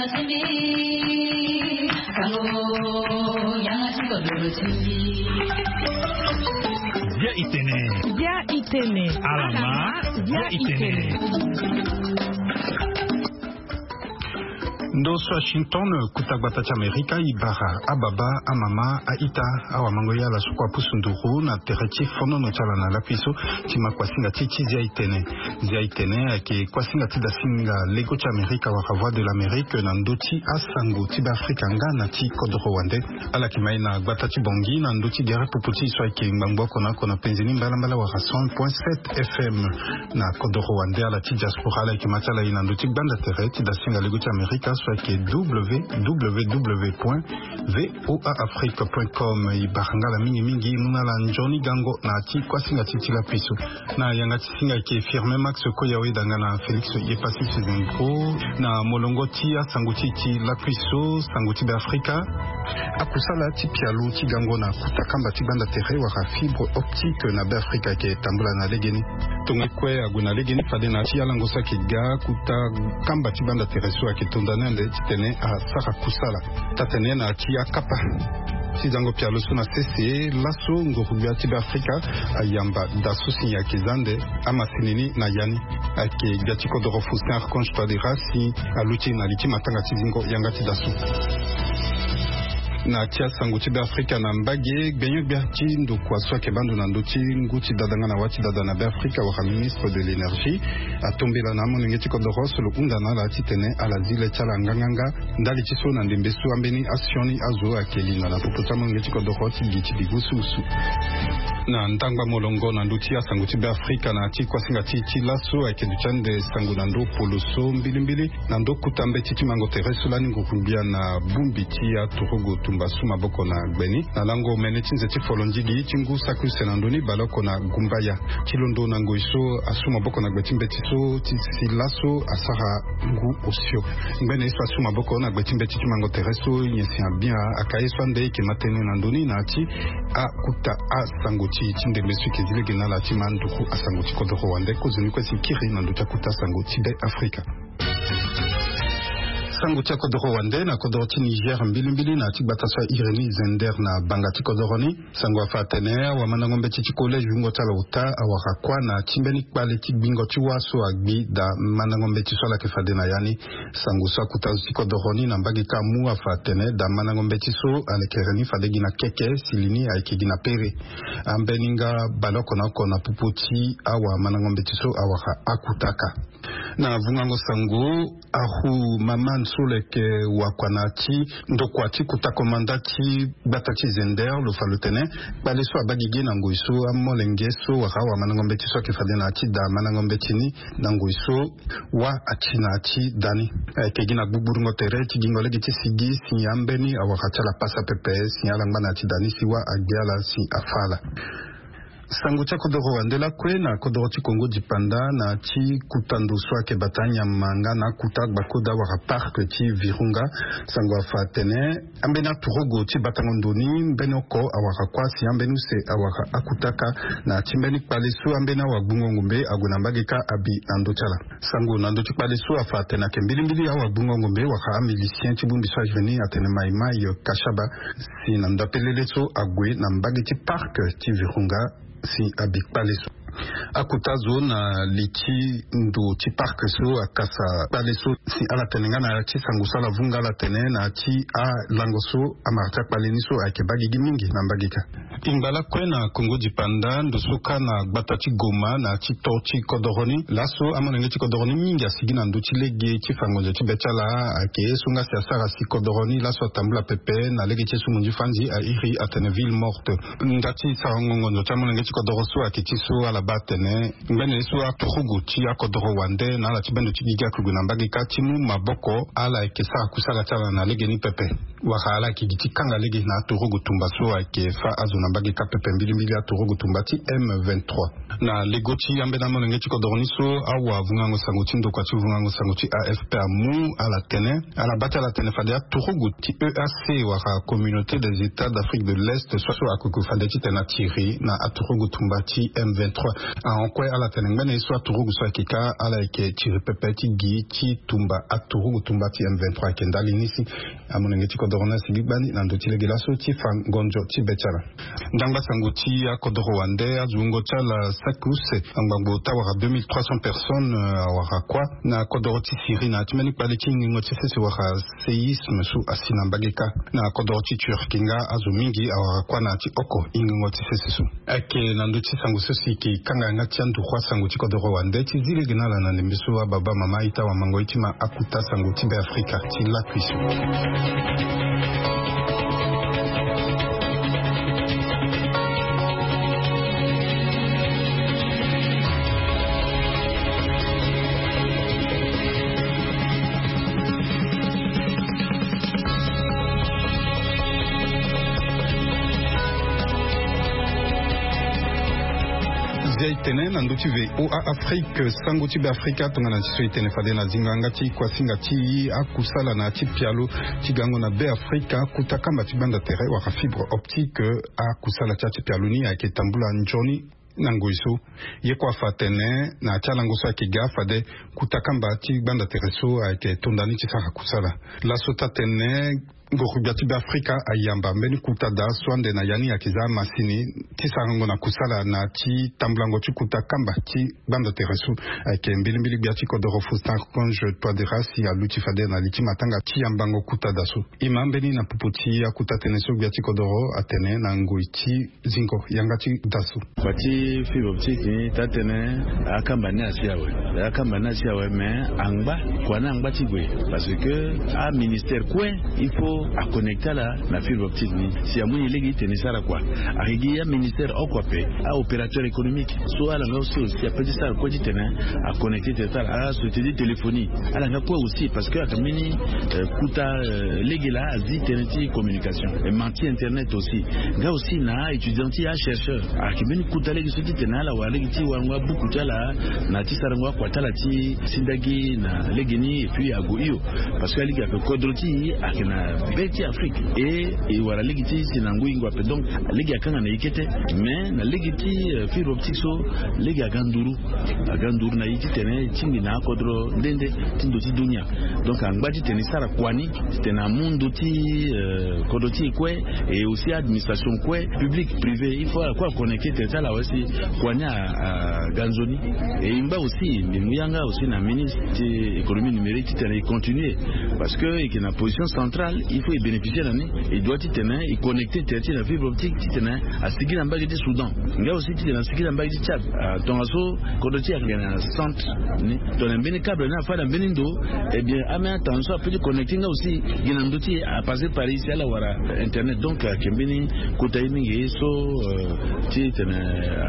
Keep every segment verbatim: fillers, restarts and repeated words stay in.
Bia itene. Bia itene. Alama. Bia itene. Ndo so Washington, kuta gbata ti Amerika, e bara ababa, amama, aita, awamango, ye ala so kue apusu nduru na tere ti fonono ti ala na lakui so ti ma kuasinga ti ti Zia itene. Zia itene ayeke kuasinga ti dasinga lego ti Amerika wala Voix de l'Amérique na ndö ti asango ti Beafrika nga na ti kodoro wande. Ala yeke ma e na gbata ti Bangui na ndö ti gere popo ti e so ayeke ngbangbo oko na oko na penze ni mbalambala wala cent point sept F M. Na kodoro wande, ala ti diaspora, ala yeke ma ti ala e na ndö ti gbanda tere ti dasinga lego ti Amerika so ayeke W W W point V O A Afrique point com. E bara nga ala mingi mingi, e mu na ala nzoni gango na ya ti kuasinga ti ti lakui so. Na yanga ti singa ayeke Firmin Max Koyawe, danga na Félix Yepassi Sezenko na molongo ti asango ti ti lakui so, sango ti Beafrika. Akusala ti pialo ti gango na kuta kamba ti gbanda tere wala fibre optique na Beafrika ayeke tambula na legeni. Tongo kue ague na legeni fade na ti alango so ayeke ga, kuta kamba ti gbanda tere so ayeke tonda ni ande titene asara kusala. Taa-tene na ti akapa ti zango pialo so na sese laso, nguru-gbia ti Beafrika ayamba daa so si ayeke za ande amasini ni na ya ni. Ayeke gbia ti kodoro Faustin Archange Touadéra si aluti na li ti matanga ti zingo yanga ti daa so. Na ti asango ti Beafrika na mbage, gbenyo-gbia ti ndokua so ayeke baa ndo na ndö ti ngu ti dada nga na wâ ti dada na Beafrika wala ministre de l'énergie atombela na amolenge ti kodoro so lo hunda na ala titene ala zi le ti ala nganganga ndali ti so na ndembe so ambeni asioni azo ayeke linda na popo ti amolenge ti kodoro ti gi ti bigu sulusu. Na ndangba molongo na ndö ti asango ti Beafrika na ya ti kuasinga ti ti laso ayeke duti ande sango na ndö polo so mbilimbili na ndö kuta mbeti ti mango tere so lani nguru-gbia na bongbi ti aturugu tumba su maboko na gbe ni na lango mene ti nze ti folondigi ti ngu saki use na ndö ni baleoko na gumbaya. Ti londo na ngoi so asu maboko na gbe ti mbeti so ti si laso asara ngu osio. Ngbene ye so asu maboko na gbe ti mbeti ti mango tere so nyen si abia aka ye so ande e yeke ma tënë na ndö ni na ya ti akuta asango ti ti ndembe so e yeke zi lege na ala ti ma nduku asango ti kodoro wande. Kozoni kue si kiri na ndö ti akuta sango ti Be Afrika. Sango ti akodoro wande na kodoro ti Niger mbilimbili na ya ti gbata so a iri ni Zender na banga ti kodoro ni. Sango afa atene awamandango mbeti ti collège wungo ti ala ota awara kuâ na ti mbeni kpale ti gbingo ti wâ so agbi daa mandango mbeti so ala yeke fade na ya ni. Sango so akuta zo ti kodoro ni na mbage kâ amu afa atene daa mandango mbeti so alekere ni fade gi na keke sili ni ayeke gi na pere. Ambeni nga baleoko na oko na popo ti awamandango mbeti so awara akuta kâ. Na vungango sango, Ahu Maman so lo yeke wakua na ya ti ndokua ti kota komanda ti gbata ti Zender lo fa lo tene kpale so abaa gigi na ngoi so amolenge so wala awamandango mbeti so ayeke fade na ya ti daa mandango mbeti ni na ngoi so wâ ati na ya ti daa ni. Ayeke gi na gbugbudungo tere ti gingo lege ti sigi si ambeni awara ti ala pasa pepe si ala ngba na ya ti daa ni si wâ agbe ala si afâ ala. Sango ti akodoro wande lakue na kodoro ti Kongo dipanda na ti kuta ndo so ayeke bata anyama nga na akuta agbakoda wala parc ti Virunga. Sango afa atene ambeni aturugu ti batango ndo ni mbeni oko awara kuâ si ambeni use awara akuta kâ na ti mbeni kpale so ambeni awagbungo ngombe ague na mbage kâ abi na ndö ti ala. Sango na ndö ti kpale so afa atene ayeke mbilimbili awagbungo ngombe wala amilicien ti bongbi so airi ni atene Mai Mai Kashaba si na ndapelele so ague na mbage ti parc ti Virunga si abi kpale so. Akota zo na li ti ndo ti parc so akasa kpale so si ala tene nga na ya ti sango so ala vunga ala tene na ya ti alango so amara ti akpale ni so ayeke baa gigi mingi na mbage kâ. Ingba lakue na Kongo dipanda ndo so kâ na gbata ti Goma na ya ti to ti kodoro ni laso amolenge ti kodoro ni mingi asigi na ndö ti lege ti fa ngonzo ti be ti ala ayeke ye so nga si asara si kodoro ni laso atambula pepe na lege ti ye so monzi fandi airi atene ville morte. Nda ti sarango ngonzo ti amolenge ti kodoro so ayeke ti so ala baa atene ngbene ye so aturugu ti akodoro wande na ala ti bendo ti gigi ayeke gue na mbage kâ ti mu maboko ala yeke sara kusala ti ala na lege ni pepe. Wala ala yeke gi ti kanga lege na aturugu tumba so ayeke fâ azo na mbage kâ pepe mbilimbili aturugu tumba ti M vingt-trois. Na lego ti ambeni amolenge ti kodoro ni so awavungango sango ti ndokua ti vungango sango ti A F P amu ala tene ala baa ti ala tene fade aturugu ti E A C wala Communauté des États d'Afrique de l'Est so so akoke fade titene atiri na aturugu tumba ti M vingt-trois. Ahon kue ala tene ngbene ye so aturugu so ayeke ka ala yeke tiri pepe ti gi ti tumba aturugu tumba ti M vingt-trois ayeke ndali ni si. Amolenge ti kodoro ni asigi gbani na ndö ti lege laso ti fa ngonzo ti be ti ala. Ndangba sango ti akodoro wande, azo wungo ti ala saki use angbangbo ti awara deux mille trois cents personnes awara kuâ na kodoro ti Syrie na ya ti mbeni kpale ti ngingo ti sese wala séisme so asi na mbage kâ. Na kodoro ti Turquie nga azo mingi awara kuâ na ya ti oko ngingo ti sese so. Ayeke na ndö ti sango so si eke kanga yanga ti anduru asango ti kodoro wande ti zi lege na ala na ndembe so ababa mama aita wamango ye ti ma akuta sango ti Be Afrika ti lakui so. Zia e tene na ndö ti VOA Afrique, sango ti Be Afrika tongana ti so e tene fade na zingo yanga ti kuasinga ti akusala na ya ti pialo ti gango na Be Afrika, kuta kamba ti gbanda tere wala fibre optique, akusala ti ya ti pialo ni ayeke tambula nzoni na ngoi so. Ye kue afa atene na ya ti alango so ayeke ga fade kuta kamba ti gbanda tere so ayeke tonda ni ti sara kusala. Laso ti atene ngoro gbia ti Be Afrika ayamba mbeni kuta daa so ande na ya ni ayeke za amasini ti sarango na kusala na ya ti tambulango ti kuta kamba ti gbanda tere so. Ayeke mbilimbili gbia ti kodoro Faustin Archange Touadéra si aluti fade na li ti matanga ti yambango kuta daa so. E ma mbeni na popo ti akuta tënë so gbia ti kodoro atene na ngoi ti zingo yanga ti daa so. Kua ti fibre optique ni taa tënë akamba ni asi awe. Akamba ni asi awe, me angba kua ni angba ti gue. Parce que aministère kue il faut aconnecter ala na fibre optique ni. Si amu ni lege ti tene e sara kua, ayeke gi aministère oko ape, aopérateur économique so ala nga aussi aussi ape ti sara kue ti tene aconnecter tene ti ala. Asociété ti téléphonie ala nga kue aussi, parce que ayeke mbeni kuta lege laa azi tënë ti communication. Ti internet aussi nga aussi na aétudiant ti achercheur. Ayeke mbeni kuta lege so ti tene ala wara lege ti warango abuku ti ala na ti sarango akua ti ala ti sindagi na legeni et puis ague hio. Parce que alege ape kodro ti e ayeke na be ti Afrique, et e wara lege ti si na ngoi ngoi ape. Donc lege akanga na e kete. Mais na lege ti fibre optique so lege aga nduru. Aga nduru na e ti tene e tingbi na akodro nde nde ti ndo ti dunia. Donc angba ti tene e sara kua ni ti tene amu ndo ti kodro ti e kue, et aussi administration kue, public, privé, il faut ala kue aconnecter tene ti ala awe si kua ni aga nzoni. Et e ngba aussi mbi mu yanga aussi na ministre ti économie numérique ti tene e continuer. Parce que e yeke na position centrale, il faut e bénéficier na ni. E doit ti tene e connecter tene ti na fibre optique ti tene asigi na mbage ti Soudan, nga aussi ti tene asigi na mbage ti Tchad. Tongaso kodro ti e ayeke na centre ni, tongana mbeni câble ni afâ na mbeni ndo, eh bien ame atandu so ape ti connecter nga aussi gi na ndö ti e apasser par ici ala wara internet. Donc ayeke mbeni kota ye mingi so ti tene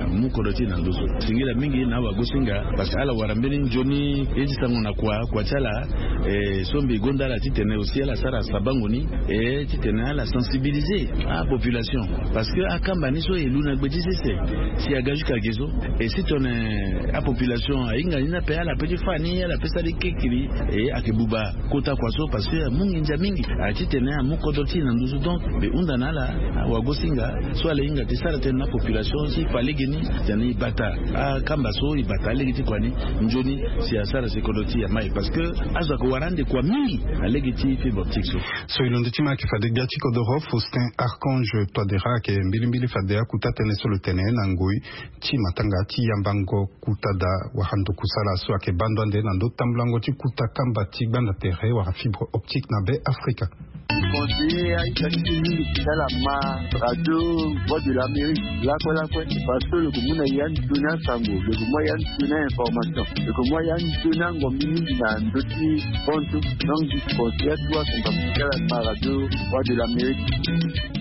amu kodro ti e na ndö so. Singila mingi na awagosinga, parce que ala wara mbeni nzoni ye ti sango na kua kua ti ala. E so mbi gonda ala ti tene aussi ala sara sabango ni, e ti tene ala sensibiliser apopulation. Parce que akamba ni so e lu na gbe ti sese si aga jusqu'à ge so. E si tongana apopulation ahinga ni ni ape ala pe ti fâ ni ala pe sara ni kekiri, e ayeke buba kota kua so, parce que amu nginza mingi. Aye ti tene amu kodro ti e na nduzu. Donc mbi hunda na ala awagosinga so ala hinga ti sara tënë na population ti fa lege ni tene e bata akamba so e bata alege ti kua ni nzoni si asara si kodro ti e amai. Parce que azo ayeke wara ande kua mingi na lege ti fibre optique so. So e londo ti ma ayeke fade gbia ti kodoro Faustin Archange Touadéra ayeke mbilimbili fade akuta tënë so lo tene na ngoi ti matanga ti yambango kuta daa wala ndo kusala so ayeke baa ndo ande na ndo tambulango ti kuta kamba ti gbanda tere wala fibre optique na Be Afrika. Conseiller aita ti mingi ti tala ma radio Voix de l'Amérique lakue lakue, parce que lo yeke mu na ya nzoni asango, lo yeke mu ya nzoni ainformation, lo yeke mu ya nzoni angombi mingi na ndö ti bonso. Donc je conseille à toi son parti tala ma radio Voix de l'Amérique.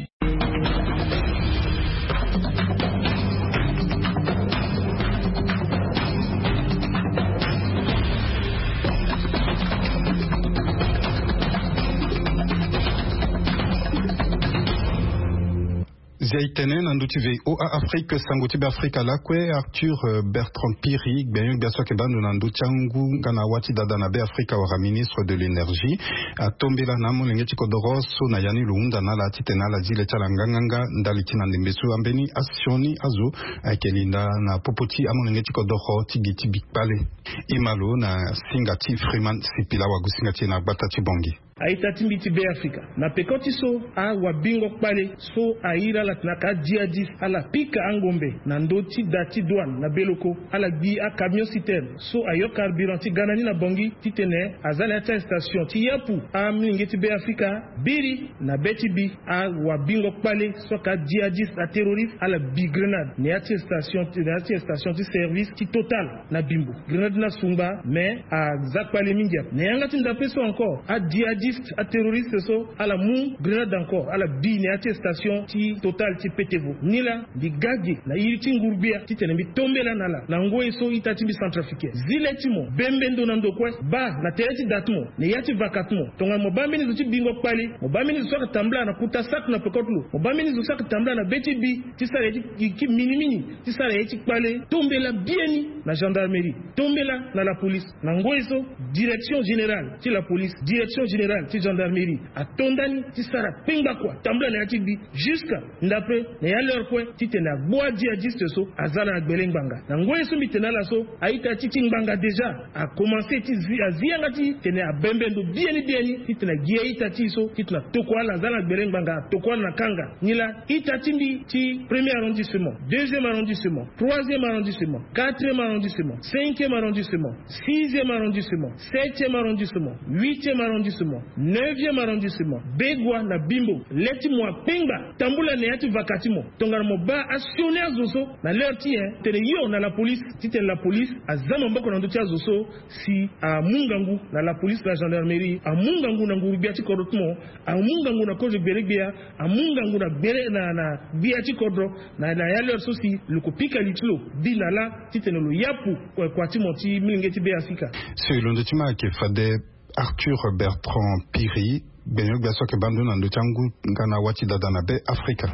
Ya itene na ndö ti VOA Afrique, sango ti Be Afrika lakue, Arthur, euh, Bertrand Piri, gbenyo gbia so ayeke baa ndo na ndö ti angu nga na awa ti dada na Be Afrika wala ministre de l'énergie, atombela na amolenge ti kodoro so na ya ni lo hunda na ala titene ala zi le ti ala nganganga ndali ti na ndembe so ambeni asioni azo ayeke linda na popo ti amolenge ti kodoro ti gi ti bi kpale. E ma lo na singa ti Freeman Sipila wagusinga ti e na gbata ti Bongi. A-ita ti mbi ti Be Afrika, na peko ti so awabingo kpale so ahiri ala tene aka adjihadiste ala pika angombe na ndö ti da ti douane na Beloko, ala gbi acamion citerne so ayo carburant ti ga na ni na Bongi titene aza na ya ti arrestation ti yapu amilenge ti Be Afrika. Biri na be ti bi, awabingo kpale so aka adjihadiste, aterroriste, ala bi grenade na ya ti station, na ya ti station ti service ti Total na Bimbo. Grenade ni asungba, mais aza kpale mingi ape. Na yanga ti ndape so encore, adjihadiste, aterroriste so, ala mu grenade encore, ala bi na ya ti station ti Total ti Petevo. Nilaa mbi ga ge na iri ti nguru-gbia titene mbi tombela na ala na ngoi so ita ti mbi Centrafricain zi le ti mo, bembe ndo na ndo kue, baa na tere ti da ti mo, na ya ti vaka ti mo. Tongana mo baa mbeni zo ti bingo kpale, mo baa mbeni zo so ayeke tambula na kuta saki na peko ti lo, mo baa mbeni zo so ayeke tambula na be ti bi ti sara ye ti, ti minimini, ti sara ye ti kpale, tombela biani na gendarmerie, tombela na la police. Na ngoi so, direction générale ti la police, direction générale ti gendarmerie ato ndani ti sara kpengba kua, tambula na ya ti bi jusqu'à ndape na ya l'heure kue titene agbu adjihadiste so aza na gbele ngbanga. Na ngoi so mbi tene na ala so, a-ita ti ti ngbanga déjà akomanse ti zi, azi yanga ti tene abembe ndo biani biani titene agi a-ita ti e so titene atokua ala, aza na gbele ngbanga, atokua ala na kanga. Nilaa ita ti mbi ti premier arrondissement, deuxième arrondissement, troisième arrondissement, quatrième arrondissement, cinquième arrondissement, sixième arrondissement, septième arrondissement, huitième arrondissement, neuvième arrondissement, Begoua na Bimbo, le ti mo akpengba, tambula na ya ti vaka ti mo. Tongana mo baa asioni azo so na l'heure ti e, tene yo na la police, titene la police aza maboko na ndö ti azo so si amu ngangu na la police, la gendarmerie, amu ngangu na nguru-gbia ti kodro ti mo, amu ngangu na kozo gbele-gbia, amu ngangu na gbele na, na gbia ti kodro, na, na ya l'heure so si lo ko pika li ti lo bi na lâ titene lo yapu kua, kua ti mo ti milenge ti Be Afrika. So e londo ti ma ayeke fade Arthur Bertrand Piri, gbenyo gbia so ayeke baa ndo na ndö ti angu nga na awa ti dada na Be Afrika.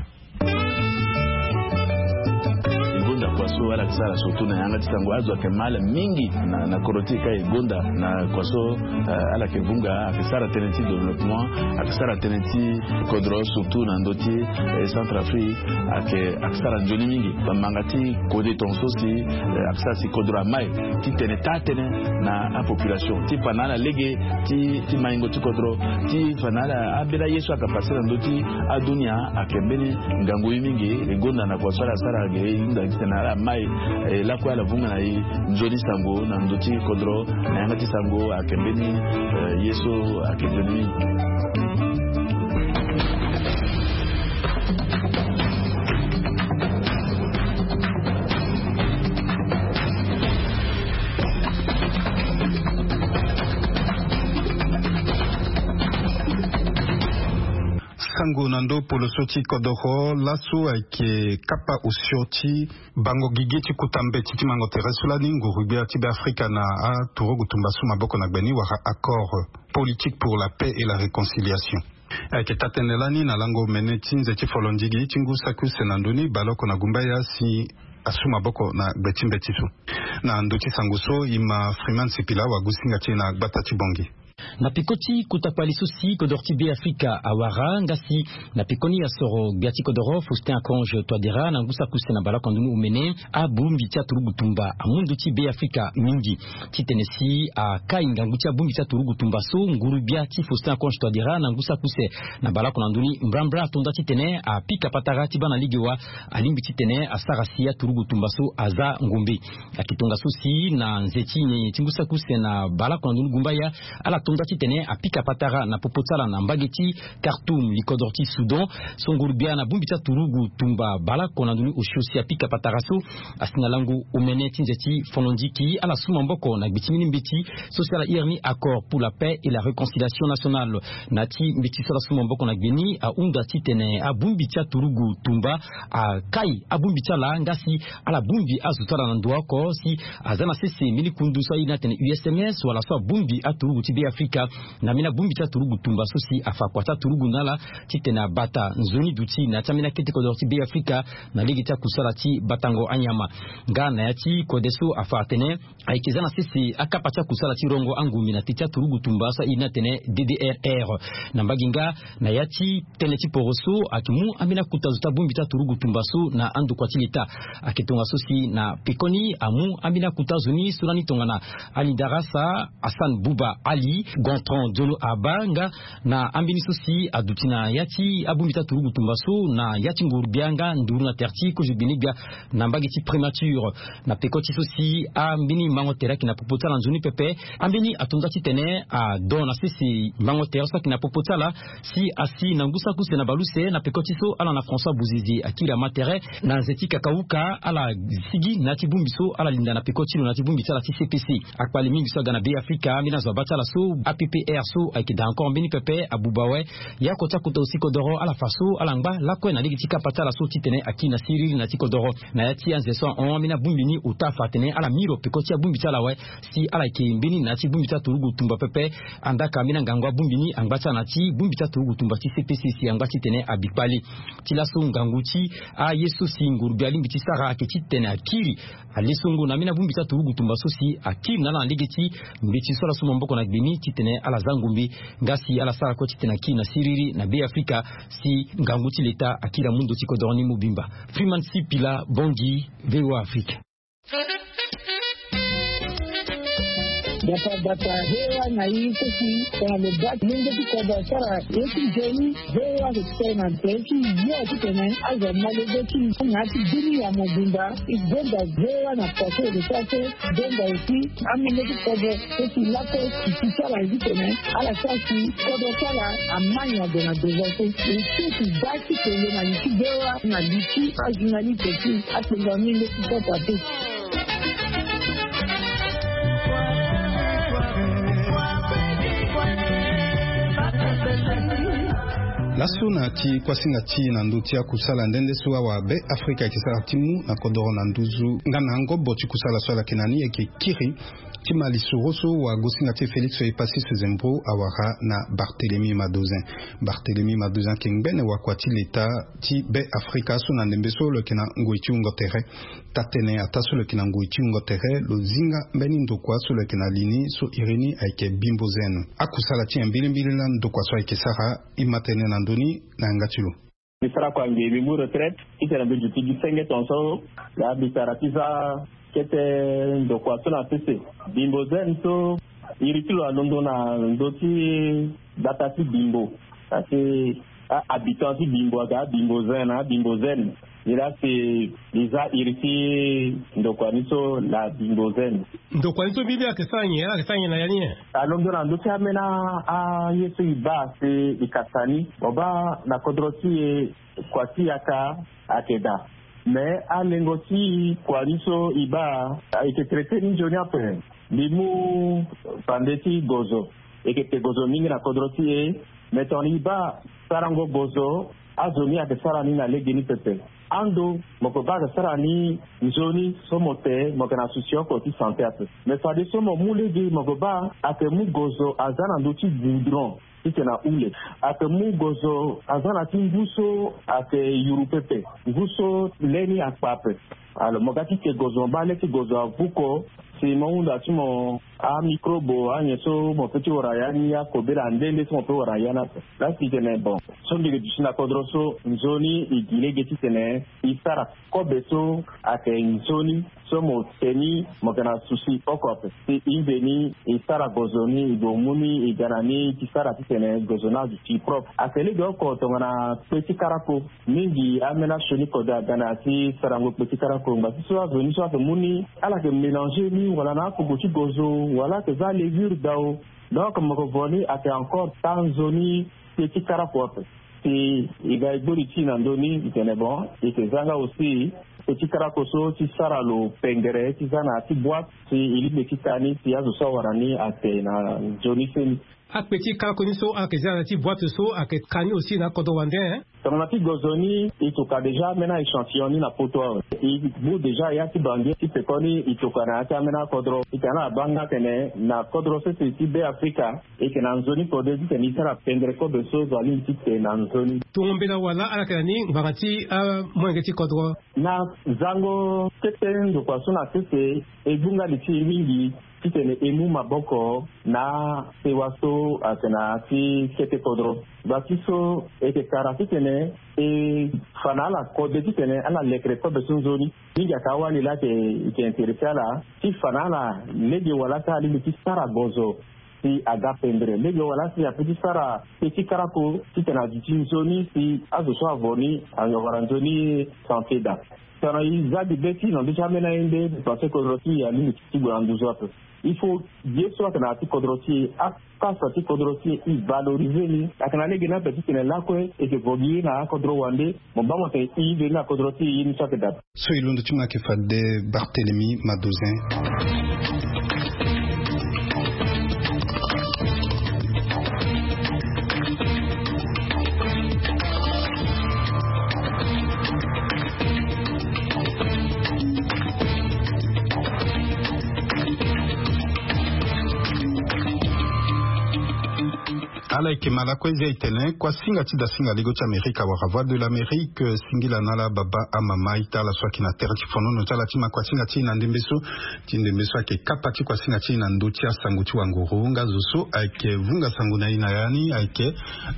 E gonda kua so ala yeke sara surtout na yanga ti sango, azo ayeke ma ala mingi na, na kodro ti e ka e gonda na kua so, eh, ala yeke vunga, ayeke sara tënë ti développement, ayeke sara tënë ti kodro surtout na ndö ti, eh, Centrafrique, ayeke, ayeke sara nzoni mingi. Bamanga ti kode tongaso si, eh, ayeke sara si kodro amai titene taa tënë na apopulation ti fa na ala lege ti, ti maingo ti kodro, ti fa na ala ambeni aye so ayeke pase na ndö ti adunia, ayeke mbeni ngangu ye mingi. E gonda na kua so ala sara ge, e hunda titene ala mai, eh, lakue ala vunga na e nzoni sango na ndö ti kodro, na yanga ti sango ayeke mbeni, eh, ye so ayeke nzoni mingi. Sango na ndö poloso ti kodoro laso ayeke kapa osio ti bango gigi ti kuta mbeti ti mango tere so lani nguru-gbia ti Be Afrika na aturugu tumba so maboko na gbe ni wala accord politique pour la paix et la réconciliation. Ayeke taa-tënë lani na lango omene ti nze ti folondigi ti ngu saki use na ndö ni baleoko na gumbaya si asu maboko na gbe ti mbeti so. Na ndö ti sango so e ma Freeman Sipila wagusinga ti e na gbata ti Bongi. Na peko ti kota kpale so si kodoro ti Be Afrika awara nga si na pekoni asoro gbia ti kodoro Faustin Archange Touadéra na ngu saki use na baleoko na ndö ni omene, abongbi ti aturugu tumba amu ndö ti Be Afrika mingi. Titene si akai ngangu ti abongbi ti aturugu tumba so, nguru-gbia ti Faustin Archange Touadéra na ngu saki use na baleoko na ndö ni mbrambra ato nda titene apika patara ti baa na lege wa alingbi titene asara si aturugu tumba so aza ngombe. Ayeke tongaso si na nze ti nyenye ti ngu saki use na baleoko na ndö ni gumbaya, ala to nda titene apika patara na popo ti ala na mbage ti Khartoum, likodro ti Soudan. So nguru-gbia na bongbi ti aturugu tumba baleoko na ndö ni osio si apika patara so asi na lango omene ti nze ti fono-nziki, ala su maboko na gbe ti mbeni mbeti so si ala iri ni accord pour la paix et la réconciliation nationale. Na ya ti mbeti so ala su maboko na gbe ni ahunda titene abongbi ti aturugu tumba akai abongbi ti ala nga si ala bongbi azo ti ala na ndo oko si aza na sese mbeni kundu so airi ni atene U S M S wala so abongbi aturugu ti Be Afrika Afrika na ambeni abongbi ti aturugu tumba so si afa kua ti aturugu na ala titene abata nzoni duti na ya ti ambeni akete kodoro ti Be Afrika na lege ti akusala ti batango anyama. Nga na ya ti kode so afa atene ayeke za na sese akapa ti akusala ti rongo angombe na te ti aturugu tumba so airi ni atene D D R R. Na mbage nga, na ya ti tënë ti poro so ayeke mu ambeni akota zo ti abongbi ti aturugu tumba so na andokua ti leta. Ayeke tongaso si na pekoni amu ambeni akota zo ni so lani tongana Ali Darasa, Hassan Bouba Ali, Gontran Diono Abba nga na ambeni so si aduti na ya ti abongbi ti aturugu tumba so na ya ti nguru-gbia nga nduru na tere ti kozo gbene-gbia na mbage ti Primature. Na peko ti so si ambeni mango tere ayeke na popo ti ala nzoni pepe, ambeni ato nda titene ado na sese mango tere so ayeke na popo ti ala si asi na ngu saki use na baleuse na peko ti so ala na François Bouzizi akiri ama tere na nze ti kakauka ala sigi na ya ti bongbi so ala linda na peko ti lo na ya ti bongbi ti ala ti C P C. Akpale mingi so aga na Be Afrika, ambeni azo abaa ti ala so A P P R so ayeke daa encore mbeni pepe abuba awe. Ya oko ti akota zo ti kodoro ala fa so ala ngba lakue na lege ti kapa ti ala so titene akiri na siriri na ya ti kodoro. Na ya ti anze so ahon ambeni abongbi ni ota afa atene ala miro peko ti abongbi ti ala awe si ala yeke mbeni na ya ti bongbi ti aturugu tumba pepe. Andaa ka ambeni angangu abongbi ni angba ti ala na ya ti bongbi ti aturugu tumba ti C P C si angba titene abi kpale. Ti laso ngangu ti aye so si nguru-gbia alingbi ti sara ayeke titene akiri alesongo na ambeni abongbi ti aturugu tumba so si akiri na ala na lege ti mbeti so ala so maboko na gbe ni titene ala za ngombe nga si ala sara kue titene akiri na siriri na Be Afrika si ngangu ti leta akiri amu ndo ti kodoro ni mobimba. Freeman Sipila, Bangui, V O A Afrique. Bata bata V O A na i so si tongana lo baa ti lenge ti kodro asara ye ti nzoni. V O A ayeke tene na tere ti yo titene azo ma lege ti na ya ti bini ya mobimba. E gonda V O A na poto e lo sara so. Gonda aussi amenge ti kodro so si lakue e ti sara titene ala sara si kodro ti ala ama nyon ado na devant so. E so e ti baa ti kele na li ti V O A na li ti ajournaliste ti akpengba mingi ti kota te. Laso na ti kuasinga ti na ndö ti akusala nde nde so awa Be Afrika ayeke sara ti mu na kodoro na nduzu nga na ngobo ti kusala so ala yeke na ni ayeke kiri ti ma lisoro so wagosinga ti e Félix Epasis Zembro awara na Barthélemy Madozin. Barthélemy Madozin ayeke ngbene wakua ti leta ti Be Afrika so na ndembe so lo yeke na ngoi ti wungo tere. Taa-tënë ataa so lo yeke na ngoi ti wungo tere lo zi nga mbeni ndokua so lo yeke na li ni so iri ni ayeke Bimbo Zen. Akusala ti nyen mbilimbili laa ndokua so ayeke sara? E ma tënë na ndö ni na yanga ti lo. Mbi sara kua nge mbi mu retraite titene mbi duti gi senge tongaso. Laa mbi sara ti za kete ndokua so na sese. Bimbo Zen so iri ti lo alondo na ndö ti gbata ti Bimbo. Parce que a-habitant ti Bimbo aga Bimbo Zen na Bimbo Zen. Nilaa si li za iri ti ndokua ni so la Bimbo Zen. Ndokua ni so mbi mbi ayeke sara nyen? Ala yeke sara nyen na ya ni nyen? Alondo na ndö ti ambeni aye so e baa si e kasa ni. Mo baa na kodro ti e kua ti yaka ayeke daa. Me alengo ti kua ni so e baa e yeke traité ni nzoni ape. Mbi mu fande ti gozo e yeke te gozo mingi na kodro ti e. Me tongana e baa sarango gozo azo ni ayeke sara ni na legeni pepe. Ando mo yeke baa ayeke sara ni nzoni so mo te mo yeke na souci oko ti santé ape. Me fadeso mo mu lege mo yeke baa ayeke mu gozo aza na ndö ti goudron titene ahule. Ayeke mu gozo aza na ti ngu so ayeke yuru pepe, ngu so le ni akpa ape. Alors mo ga ti te gozo mo baa le ti gozo avuko si mo hunda ti mo amicrobe anyen so mo pe ti wara ya ni akobela nde nde so mo pe wara ya ni ape. Laa si tene bon so mbi yeke duti na kodro so nzoni e gi lege titene e sara kobe so ayeke nzoni so mo te ni mo yeke na souci oko ape. Si e nzeni e sara gozo ni e gue mu ni e ga na ni ti sara titene gozo ni aduti propre. Ayeke lege oko tongana kpe ti karako. Mingi ambeni asioni kode aga na ya ti sarango kpe ti karako ngba ti so azo ni so ayeke mu ni ala yeke mélanger ni wala na akuku ti gozo wala ayeke za levure dao. Donc mo yeke vo ni ayeke encore taa nzoni kpe ti karako ape. Si e ga e gbori ti e na ndö ni e tene bon e yeke za nga aussi kpe ti karako so ti sara lo pengere ti za na ya ti boîte si e lingbi ti taa ni si azo so awara ni ate na nzoni seni. Akpe ti kalako ni so ala yeke za na ya ti boite so ayeke ka ni aussi na akodro wande. Tongana ti gonzo ni, e toka déjà ambeni a-échantillon ni na poto awe. E bu déjà ya ti bange ti pekoni, e toka na ya ti ambeni akodro. E tene ala baa nga atene na kodro sese ti Be Afrika, e yeke na nzoni kode titene e sara pendre kobe so zo alingbi ti te na nzoni. Tongo mbela wala ala yeke na ni ngbanga ti amolenge ti kodro. Na zango kete ndokua so na sese, e gbu nga li ti e mingi titene e mu maboko na sewa so ayeke na ya ti kete kodro. Gba ti so e yeke kara titene e fa na ala kode titene ala lekere kobe so nzoni. Mingi ayeke awali laa ayeke, e yeke intéressé ala ti fa na ala lege wala ti alingbi ti sara gonzo si aga pendre, lege wala si ape ti sara pe ti karako titene aduti nzoni si azo so avo ni awara nzoni santé daa. Tongana e za gi be ti e na ndö ti ambeni aye nde, parce que kodro ti e alingbi ti gue na nduzu ape. Il faut ye so ayeke na ya ti kodro ti e, akasa ti kodro ti e, e valoriser ni. Ayeke na lege ni ape titene lakue e yeke vo gi ye na akodro wande. Mo baa mo tene e ye ni na kodro ti e, ye ni so ayeke daa. So e londo ti mo ayeke fade Barthélemy Madozin. Ala yeke ma lakue zia e tene kuasinga ti dasinga lego ti Amerika wala Voix de l'Amérique, singila na ala baba amama ita ala so ayeke na tere ti fonono ti ala ti ma kuasinga ti e na ndembe so. Ti ndembe so ayeke kapa ti kuasinga ti e na ndö ti asango ti wanguru nga zo so ayeke vunga sango na e na ya ni ayeke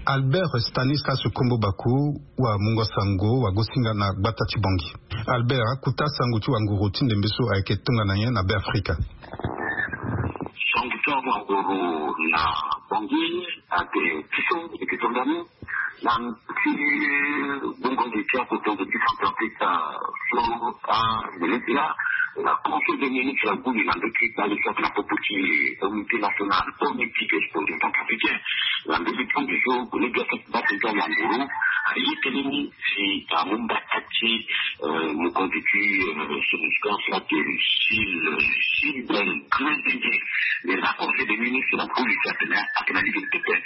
Albert Stanislas Kombo Baku, wamungo sango wagosinga na gbata ti Bangui. Albert, akuta sango ti wanguru ti ndembe so ayeke tongana nyen na Be Afrika? Sango ti wanguru na Bangui ayeke ti so e yeke tongana ni na ti bongo nde ti akotongo ti Centrafrique so amene ti la. La Conseil des ministres ague li na ndö ti kpale so ayeke na popo ti comité national politique et sport centrafricain. Na ndö ti tongo so gue ni biaso ti baa ti wanguru aye tënë ni si amu mbata ti, euh, mokonzi ti, euh, SOMOSCA so ayeke Gilles, Gilbert Grézingué. Mais na Conseil des ministres na polisi atene ayeke na lege pepe.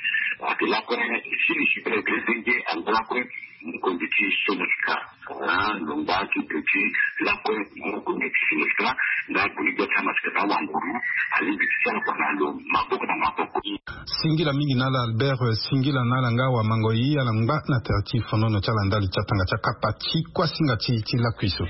Ayeke lakue Gilles, Gilbert Grézingué angba lakue mokonzi ti SOMOSCA. Ah, lo ngba ti pe ti lakue mokonzi ti SOMOSCA nga gue ni gbia ti amasika na wanguru alingbi ti sara kua na lo maboko na maboko. Singila mingi na ala Albert, eh, singila na ala nga wamango ye ala ngba na tere ti fonono ti ala ndali ti atanga ti akapa ti kuasinga ti, ti lakui so.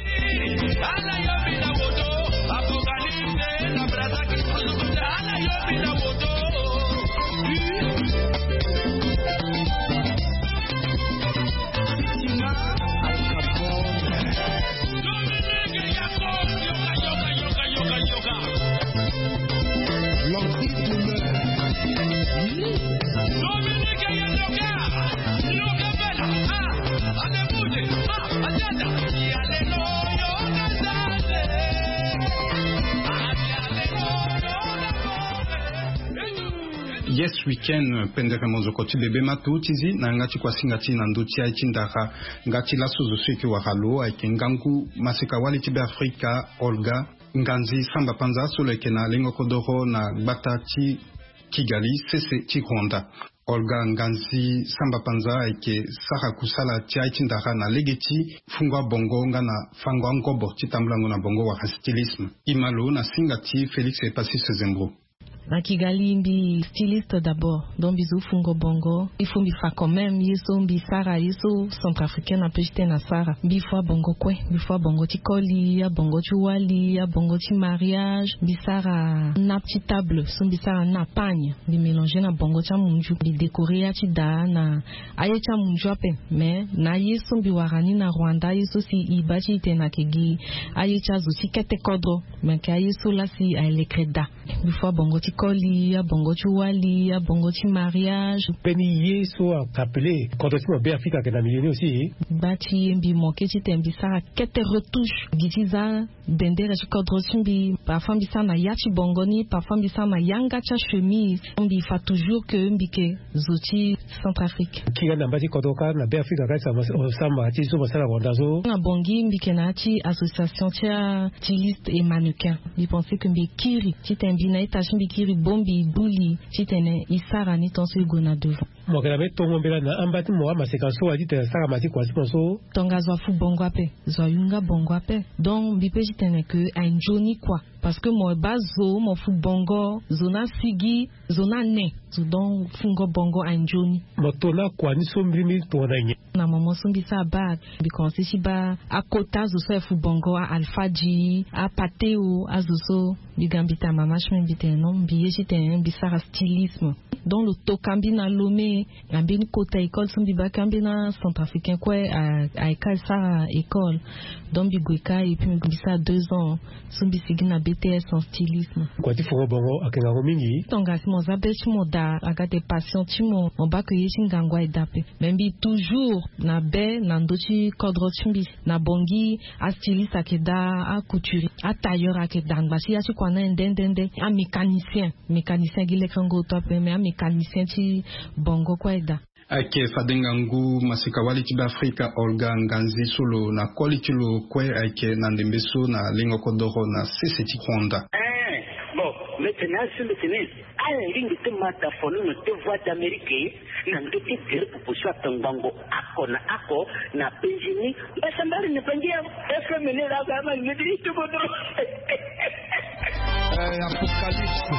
Yes Weekend, pendere monzoko ti bebe ma tu ti zi na yanga ti kuasinga ti na ndö ti aye ti ndara. Nga ti laso zo so e yeke wara lo ayeke ngangu maseka wali ti Be Afrika, Olga Nganzi Samba Panza, so lo yeke na lengo kodoro na gbata ti Kigali, sese ti Rwanda. Olga Nganzi Samba Panza ayeke sara kusala ti aye ti ndara na lege ti fungo abongo nga na fango angobo ti tambulango na bongo wala stylisme. E ma lo na singa ti Félix Epasis Zembro. Na Kigali mbi styliste d'abord, donc mbi zo fungo bongo. Il faut mbi fa quand même ye so mbi sara, ye so centrafricaine ape ti tene asara. Mbi fo abongo kue, mbi fo abongo ti koli, abongo ti wali, abongo ti mariage. Mbi sara nappe ti table so mbi sara na pagne, mbi mélanger na bongo ti amunzu, mbi décorer ya ti daa na aye ti amunzu ape. Mais na ye so mbi wara ni na Rwanda, ye so si e baa ti e tene ayeke gi aye ti azo ti kete kodro, me yeke aye so laa si aye lekere daa. Mbi fo abongo ti koli, abongo ti wali, abongo ti mariage. Mbeni ye so a-appelé kodro ti mo Be Afrika ayeke na milieu ni aussi. Gba ti ye mbi manqué ti tene mbi sara kete retouche gi ti za bendere ti kodro ti mbi. Parfois mbi sara na ya ti bongo ni, parfois mbi sara na yanga ti achemise. Mbi fa toujours que mbi yeke zo ti Centrafrique. Kiri na mba ti kodro kâ na Be Afrika kâ, samba ti so mo sara na Rwanda so. Na Bangui mbi yeke na ya ti association ti a-styliste et mannequin. Mbi pensé que mbi kiri ti tene mbi na ita ti mbi kiri. Bongbi gbu li titene e sara ni tant so e gue na devant. Mo yeke na be tongo mbela na amba ti mo amaseka so wa titene asara ma ti kua ti mo so. Tongaso afu bongo ape. Zo ayunga bongo ape. Donc mbi pe titene ke aye nzoni kua. Parce que mo baa zo mo fu bongo zo ni asigi zo ni ane. Zo donc fungo bongo aye nzoni. Mo to na kua ni so mbiri mbiri tongana nyen? Na moment so mbi sara bac mbi commence ti baa akota zo so aye fu bongo a alfadji apateo azo so. Mbi ga mbi tene mama ti mbi mbi tene non mbi ye titene mbi sara stylisme. Donc lo toka mbi na lome. Na mbeni kota école so mbi baa ka mbeni acentrafricain kue. Aye ka asara école. Donc mbi gue ka et puis mbi sara deux ans. So mbi sigi na bts en stylisme. Kua ti fongo bongo ayeke ngangu mingi. Tongana si mo za be ti mo daa aga de passion ti mo mo baa ke ye ti ngangu aye daa ape. Mais mbi toujours na be na ndö ti kodro ti mbi. Na bongi astyliste ayeke daa, acouturier, atailleur ayeke daa ngba si ya ti kua ni aye nde nde nde. Amécanicien mécanicien gi lekango oto ape mais amécanicien ti bongo kue aye daa. Ayeke fade ngangu maseka-wali ti be afrika olga nganzi so lo na koli ti lo kue ayeke na ndembe so na lengo kodoro na sese ti honda. Bon, mbi tene asi mbi tene ala lingbi ti ma dafono na te voie d'amérique. Na ndö ti gere pupu so ato ngbongo ako na ako na penzi ni. Mbasa mbari na bangi ya fm ni la ga ama lingbi ti tubo dro. Apocalypse.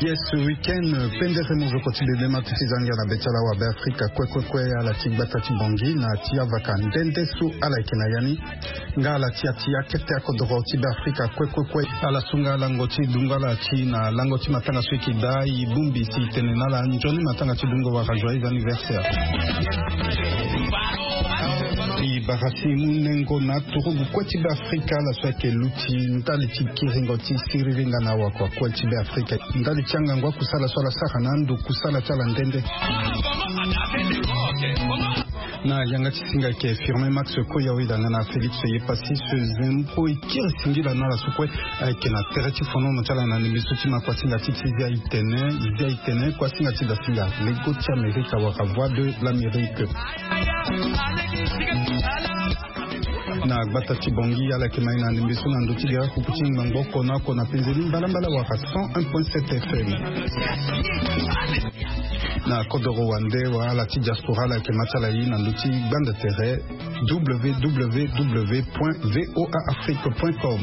Yes, week-end pendere mozoko ti bebe ma ti ti zangia na be ti ala wa be afrika kue kue kue ala ti gbata ti bongi na ti avaka nde nde so ala yeke na ya ni. Nga ala ti ya ti akete akodoro ti be afrika kue kue kue. Ala sunga lango ti dungo ala ti na lango ti matanga so e yeke daa e bongbi si e tene na ala nzoni matanga ti dungo wala joyeux anniversaire. E bara si e mu nengo na turugu kue ti be afrika ala so ayeke luti ndali ti kiringo ti siriri nga na awakua kue ti be afrika ndali ti angangu akusala so ala sara na ando kusala ti ala nde nde. Na yanga ti singa ayeke firme max koya oyi danga na félix ye pasi se zembro e kiri singila na ala so kue. Ayeke na tere ti fonono ti ala na ndembe so ti ma kuasinga ti ti zia itene zia itene kuasinga ti dasinga lego ti amerika wala voix de l'amérique. Na gbata ti bongi ala yeke mai na ndembe so na ndö ti gere akuku ti ngbangbo oko na oko na penzeni mbalambala wala cent un point sept fm. Na kodoro wande wa ala ti diaspora ala yeke ma ti ala ye na ndö ti gbanda tere www point voa afrique point com.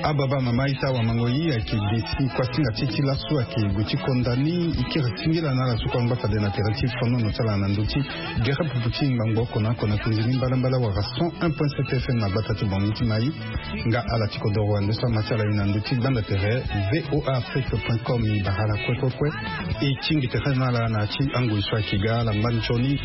Ababa mama ita wamango yi ayeke ge ti kuasinga ti e ti laso ayeke gue ti konda ni. E kiri singila na ala so kue angba fade na tere ti fonono ti ala na ndö ti gere pupu ti ngbangbo oko na oko na konzi ni mbalambala wala cent un point sept F M na gbata ti Bangi ti Maï. Nga ala ti kodoro ande so ama ti ala ye na ndö ti gbanda tere V O A Afrique point com. E bara ala kue kue kue. E tingbi tere na ala na ya ti angoi so ayeke ga ala ngba nzoni.